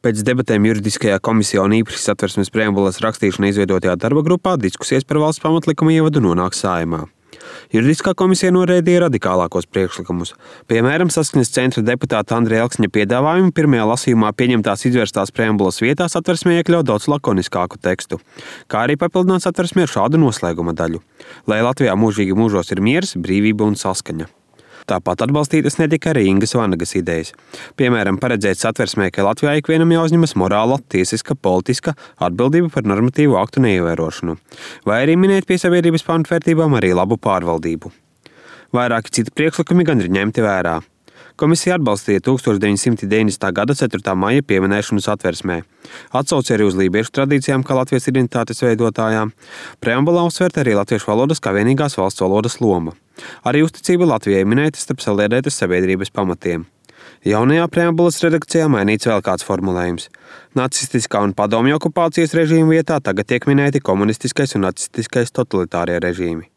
Pēc debatēm juridiskajā komisijā un īpaši Satversmes preambulas rakstīšana izveidotajā darba grupā diskusijas par valsts pamatlikuma ievadu nonāk Saeimā. Juridiskā komisija noraidīja radikālākos priekšlikumus. Piemēram, Saskaņas centra deputāta Andreja Elksņa piedāvājumu pirmajā lasījumā pieņemtās izvērstās preambulas vietā Satversmē iekļaut daudz lakoniskāku tekstu, kā arī papildināt Satversmi ar šādu noslēguma daļu: lai Latvijā mūžīgi mūžos ir miers, brīvība un saskaņa. Tāpat atbalstītas netika arī Ingas Vanagas idejas. Piemēram, paredzēt Satversmē, ka Latvijā ikvienam jāuzņemas morāla, tiesiska, politiska atbildība par normatīvu aktu neievērošanu, vai arī minēt pie sabiedrības pamatvērtībām arī labu pārvaldību. Vairāki citi priekšlikumi gan ir ņemti vērā. Komisija atbalstīja 1990. gada 4. maija pieminēšanu Satversmē. Atsauci arī uz lībiešu tradīcijām kā Latvijas identitātes veidotājām. Preambulā uzsvērta arī latviešu valodas kā vienīgās valsts valodas loma. Arī uzticība Latvijai minēta starp saliedētas sabiedrības pamatiem. Jaunajā preambulas redakcijā mainīts vēl kāds formulējums. Nacistiskā un padomju okupācijas režīmu vietā tagad tiek minēti komunistiskais un nacistiskais totalitārie režīmi.